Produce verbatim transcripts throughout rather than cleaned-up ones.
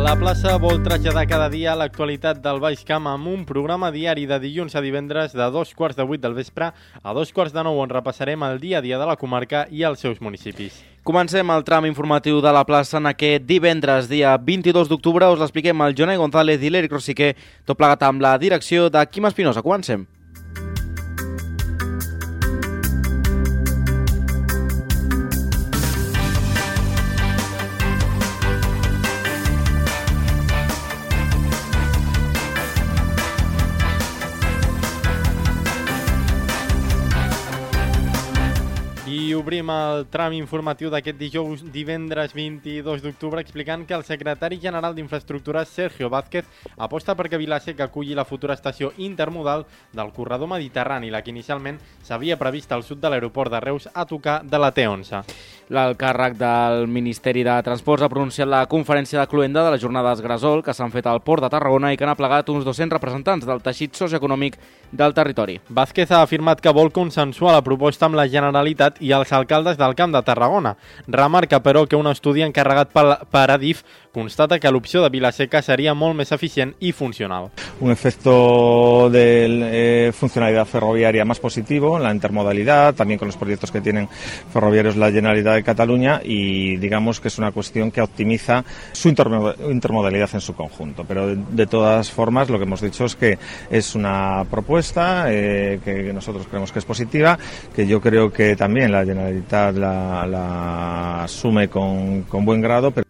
La plaça vol traslladar cada dia l'actualitat del Baix Camp amb un programa diari de dilluns a divendres de dos quarts de vuit del vespre a dos quarts de nou, on repassarem el dia a dia de la comarca i els seus municipis. Comencem el tram informatiu de la plaça en aquest divendres, dia vint-i-dos d'octubre. Us l'expliquem el Jonai González i l'Eric Rosiquer, tot plegat amb la direcció de Quim Espinosa. Comencem. I obrim el tram informatiu d'aquest dijous, divendres vint-i-dos d'octubre, explicant que el secretari general d'Infraestructures, Sergio Vázquez, aposta perquè Vila-seca aculli la futura estació intermodal del corredor mediterrani, la que inicialment s'havia previst al sud de l'aeroport de Reus a tocar de la T onze. L'alt càrrec del Ministeri de Transports ha pronunciat la conferència de cloenda de les jornades Gresol que s'han fet al Port de Tarragona i que han aplegat uns dos-cents representants del teixit socioeconòmic del territori. Vázquez ha afirmat que vol consensuar la proposta amb la Generalitat i els alcaldes del Camp de Tarragona. Remarca, però, que un estudi encarregat per Adif constata que l'opció de Vila-seca seria molt més eficient i funcional. Un efecto de eh, funcionalidad ferroviaria más positivo en la intermodalidad, también con los proyectos que tienen ferroviarios la Generalitat de Cataluña, y digamos que es una cuestión que optimiza su intermodalidad en su conjunto. Pero de, de todas formas lo que hemos dicho es que es una propuesta eh, que nosotros creemos que es positiva, que yo creo que también la Generalitat la, la asume con, con buen grado. Pero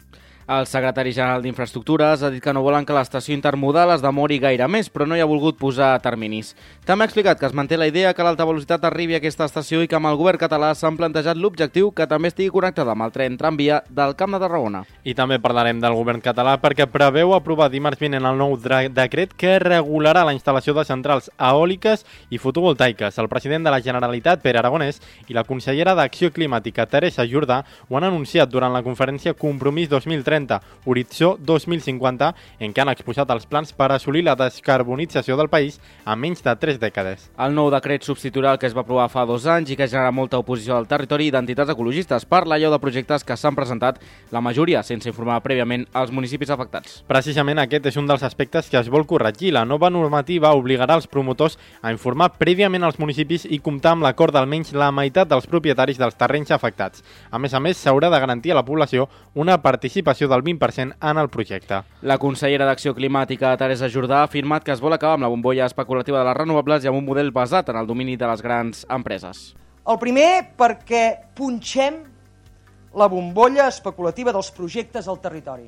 el secretari general d'Infraestructures ha dit que no volen que l'estació intermodal es demori gaire més, però no hi ha volgut posar terminis. També ha explicat que es manté la idea que l'alta velocitat arribi a aquesta estació i que amb el govern català s'han plantejat l'objectiu que també estigui connectada amb el tren tramvia del Camp de Tarragona. I també parlarem del govern català perquè preveu aprovar dimarts vinent el nou decret que regularà la instal·lació de centrals eòliques i fotovoltaiques. El president de la Generalitat, Pere Aragonès, i la consellera d'Acció Climàtica, Teresa Jordà, ho han anunciat durant la conferència Compromís dos mil trenta, Horitzó dos mil cinquanta, en què han exposat els plans per assolir la descarbonització del país en menys de tres dècades. El nou decret substituirà el que es va aprovar fa dos anys i que genera molta oposició al territori i d'entitats ecologistes per l'allau de projectes que s'han presentat, la majoria sense informar prèviament als municipis afectats. Precisament aquest és un dels aspectes que es vol corregir. La nova normativa obligarà els promotors a informar prèviament als municipis i comptar amb l'acord d'almenys la meitat dels propietaris dels terrenys afectats. A més a més, s'haurà de garantir a la població una participació del vint per cent en el projecte. La consellera d'Acció Climàtica, Teresa Jordà, ha afirmat que es vol acabar amb la bombolla especulativa de les renovables i amb un model basat en el domini de les grans empreses. El primer, perquè punxem la bombolla especulativa dels projectes al territori.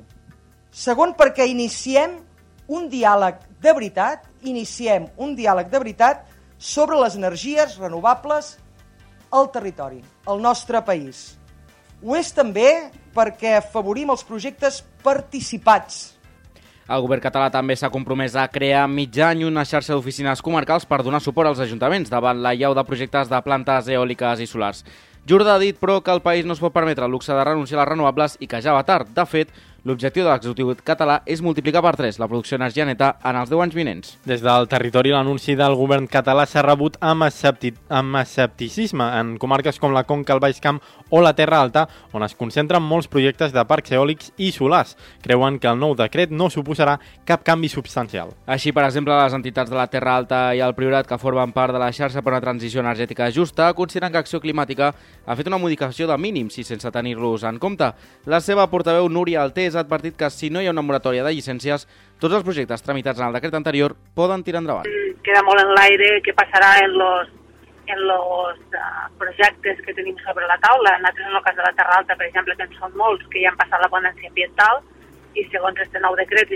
Segon, perquè iniciem un diàleg de veritat, iniciem un diàleg de veritat sobre les energies renovables al territori, al nostre país. Ho és també perquè afavorim els projectes participats. El govern català també s'ha compromès a crear mig any una xarxa d'oficines comarcals per donar suport als ajuntaments davant l'allau de projectes de plantes eòliques i solars. Jordà ha dit, però, que el país no es pot permetre el luxe de renunciar a les renovables i que ja va tard. De fet, l'objectiu de l'executiu català és multiplicar per tres la producció d'energia neta en els deu anys vinents. Des del territori, l'anunci del govern català s'ha rebut amb, escepti amb escepticisme en comarques com la Conca, el Baix Camp o la Terra Alta, on es concentren molts projectes de parcs eòlics i solars. Creuen que el nou decret no suposarà cap canvi substancial. Així, per exemple, les entitats de la Terra Alta i el Priorat, que formen part de la xarxa per una transició energètica justa, consideren que Acció Climàtica ha fet una modificació de mínims i sense tenir-los en compte. La seva portaveu, Núria Altés, ha advertit que si no hi ha una moratòria de llicències, tots els projectes tramitats en el decret anterior poden tirar endavant. Queda molt en l'aire què passarà en los, en los uh, projectes que tenim sobre la taula. Nosaltres, en el cas de la Terra Alta, per exemple, que en són molts que ja han passat la ponència ambiental i segons este nou decret,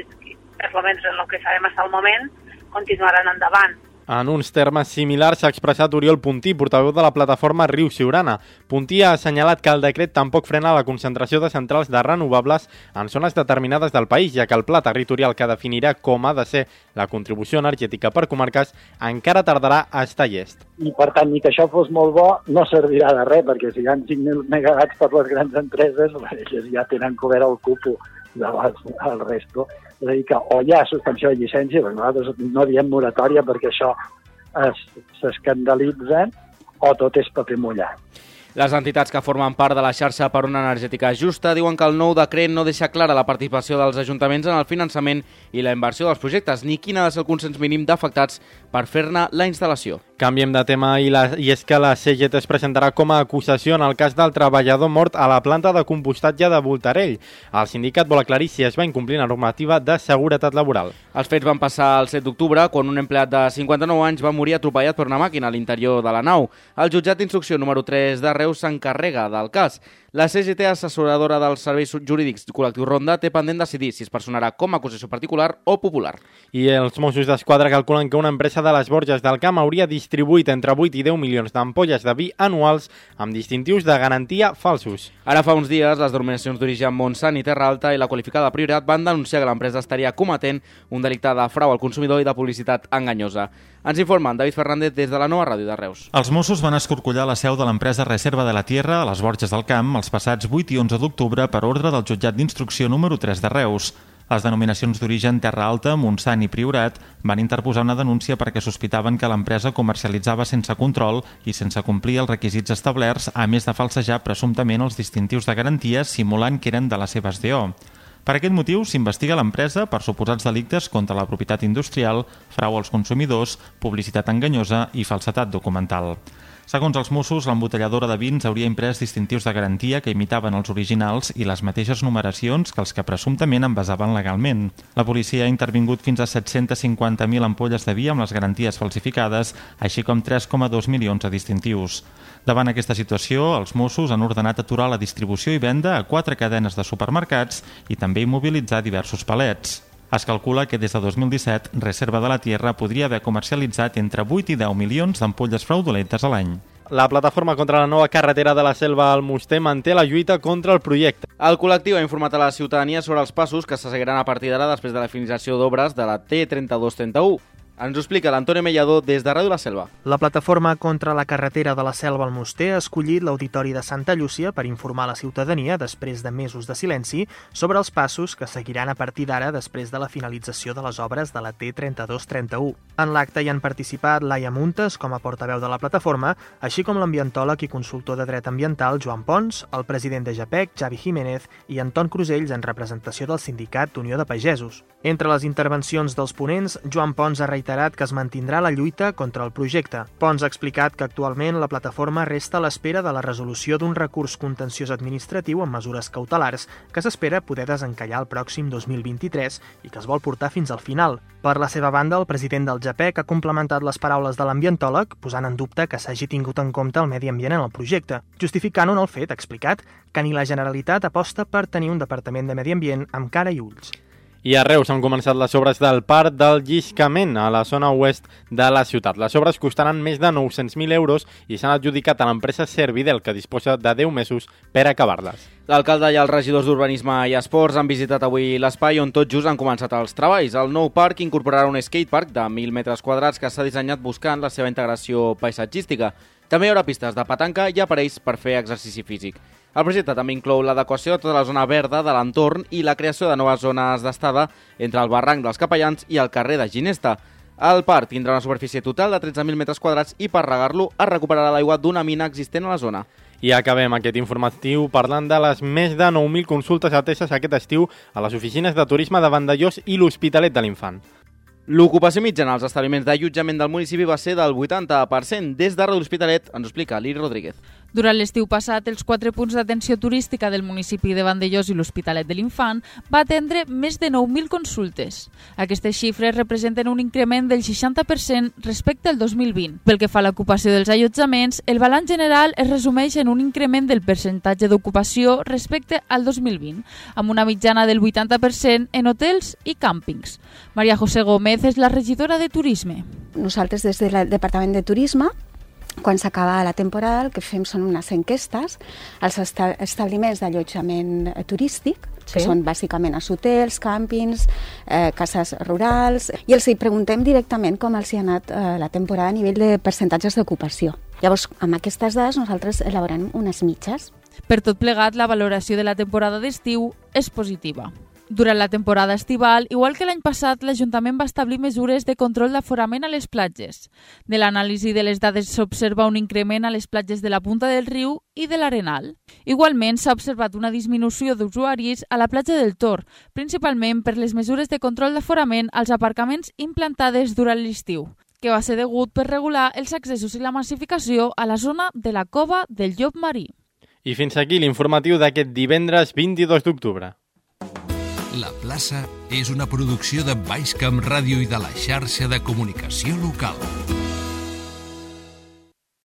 per almenys en el que sabem fins al moment, continuaran endavant. En uns termes similars s'ha expressat Oriol Puntí, portaveu de la plataforma Riu Siurana. Puntí ha assenyalat que el decret tampoc frena la concentració de centrals de renovables en zones determinades del país, ja que el pla territorial que definirà com ha de ser la contribució energètica per comarques encara tardarà a estar llest. I per tant, ni que això fos molt bo, no servirà de res, perquè si hi ha cinc mil megawatts per les grans empreses, elles ja tenen cobert el cupo de les, el resto. És a dir, que o hi ha suspensió de llicència, perquè nosaltres no diem moratòria perquè això s'escandalitzen, o tot és paper mullat. Les entitats que formen part de la xarxa per una energètica justa diuen que el nou decret no deixa clara la participació dels ajuntaments en el finançament i la inversió dels projectes, ni quin ha de ser el consens mínim d'afectats per fer-ne la instal·lació. Canviem de tema i, la, i és que la C G T es presentarà com a acusació en el cas del treballador mort a la planta de compostatge de Voltarell. El sindicat vol aclarir si es va incomplir la normativa de seguretat laboral. Els fets van passar el set d'octubre, quan un empleat de cinquanta-nou anys va morir atropellat per una màquina a l'interior de la nau. El jutjat d'instrucció número tres de Reus s'encarrega del cas. La C G T, assessoradora dels serveis jurídics col·lectiu Ronda, té pendent decidir si es personarà com a acusació particular o popular. I els Mossos d'Esquadra calculen que una empresa de les Borges del Camp hauria distribuït entre vuit i deu milions d'ampolles de vi anuals amb distintius de garantia falsos. Ara fa uns dies, les denominacions d'origen Montsant i Terra Alta i la qualificada Priorat van denunciar que l'empresa estaria cometent un delicte de frau al consumidor i de publicitat enganyosa. Ens informen David Fernández des de la Nova Ràdio de Reus. Els Mossos van escorcollar la seu de l'empresa Reserva de la Tierra a les Borges del Camp els passats vuit i onze d'octubre per ordre del jutjat d'instrucció número tres de Reus. Les denominacions d'origen Terra Alta, Montsant i Priorat van interposar una denúncia perquè sospitaven que l'empresa comercialitzava sense control i sense complir els requisits establerts, a més de falsejar presumptament els distintius de garantia simulant que eren de les seves D O. Per aquest motiu s'investiga l'empresa per suposats delictes contra la propietat industrial, frau als consumidors, publicitat enganyosa i falsedat documental. Segons els Mossos, l'embotelladora de vins hauria imprès distintius de garantia que imitaven els originals i les mateixes numeracions que els que presumptament envasaven legalment. La policia ha intervingut fins a set-cents cinquanta mil ampolles de vi amb les garanties falsificades, així com tres coma dos milions de distintius. Davant aquesta situació, els Mossos han ordenat aturar la distribució i venda a quatre cadenes de supermercats i també immobilitzar diversos palets. Es calcula que des de dos mil disset, Reserva de la Tierra podria haver comercialitzat entre vuit i deu milions d'ampolles fraudulentes a l'any. La plataforma contra la nova carretera de la Selva al Almoster manté la lluita contra el projecte. El col·lectiu ha informat a la ciutadania sobre els passos que se seguiran a partir d'ara després de la finalització d'obres de la T trenta-dos trenta-u. Ens ho explica l'Antonio Mellador des de Ràdio La Selva. La plataforma contra la carretera de la Selva al Almoster ha escollit l'Auditori de Santa Llúcia per informar la ciutadania, després de mesos de silenci, sobre els passos que seguiran a partir d'ara després de la finalització de les obres de la T trenta-dos trenta-u. En l'acte hi han participat Laia Muntes com a portaveu de la plataforma, així com l'ambientòleg i consultor de dret ambiental Joan Pons, el president de JAPEC, Xavi Jiménez, i Anton Crusells en representació del sindicat Unió de Pagesos. Entre les intervencions dels ponents, Joan Pons ha reiterat que es mantindrà la lluita contra el projecte. Pons ha explicat que actualment la plataforma resta a l'espera de la resolució d'un recurs contenciós administratiu amb mesures cautelars que s'espera poder desencallar el pròxim dos mil vint-i-tres i que es vol portar fins al final. Per la seva banda, el president del JAPEC ha complementat les paraules de l'ambientòleg, posant en dubte que s'hagi tingut en compte el medi ambient en el projecte, justificant-ho en el fet, ha explicat, que ni la Generalitat aposta per tenir un departament de medi ambient amb cara i ulls. I a Reus han començat les obres del Parc del Lliscament, a la zona oest de la ciutat. Les obres costaran més de nou-cents mil euros i s'han adjudicat a l'empresa Servidel, que disposa de deu mesos per acabar-les. L'alcalde i els regidors d'Urbanisme i Esports han visitat avui l'espai on tot just han començat els treballs. El nou parc incorporarà un skatepark de mil metres quadrats que s'ha dissenyat buscant la seva integració paisatgística. També hi haurà pistes de petanca i aparells per fer exercici físic. El projecte també inclou l'adequació de tota la zona verda de l'entorn i la creació de noves zones d'estada entre el barranc dels Capellans i el carrer de Ginesta. El parc tindrà una superfície total de tretze mil metres quadrats i per regar-lo es recuperarà l'aigua d'una mina existent a la zona. I acabem aquest informatiu parlant de les més de nou mil consultes ateses aquest estiu a les oficines de turisme de Vandellòs i l'Hospitalet de l'Infant. L'ocupació mitjana als establiments d'allotjament del municipi va ser del vuitanta per cent. Des de Ràdio L'Hospitalet ens ho explica Liri Rodríguez. Durant l'estiu passat, els quatre punts d'atenció turística del municipi de Vandellòs i l'Hospitalet de l'Infant va atendre més de nou mil consultes. Aquestes xifres representen un increment del seixanta per cent respecte al dos mil vint. Pel que fa a l'ocupació dels allotjaments, el balanç general es resumeix en un increment del percentatge d'ocupació respecte al dos mil vint, amb una mitjana del vuitanta per cent en hotels i càmpings. Maria José Gómez és la regidora de Turisme. Nosaltres des del Departament de Turisme, quan s'acaba la temporada, el que fem són unes enquestes als establiments d'allotjament turístic, sí, que són bàsicament els hotels, càmpings, eh, cases rurals, i els hi preguntem directament com els hi ha anat eh, la temporada a nivell de percentatges d'ocupació. Llavors, amb aquestes dades nosaltres elaborem unes mitges. Per tot plegat, la valoració de la temporada d'estiu és positiva. Durant la temporada estival, igual que l'any passat, l'Ajuntament va establir mesures de control d'aforament a les platges. De l'anàlisi de les dades s'observa un increment a les platges de la Punta del Riu i de l'Arenal. Igualment, s'ha observat una disminució d'usuaris a la platja del Tor, principalment per les mesures de control d'aforament als aparcaments implantades durant l'estiu, que va ser degut per regular els accessos i la massificació a la zona de la cova del Llop Marí. I fins aquí l'informatiu d'aquest divendres vint-i-dos d'octubre. La plaça és una producció de Baix Camp Ràdio i de la xarxa de comunicació local.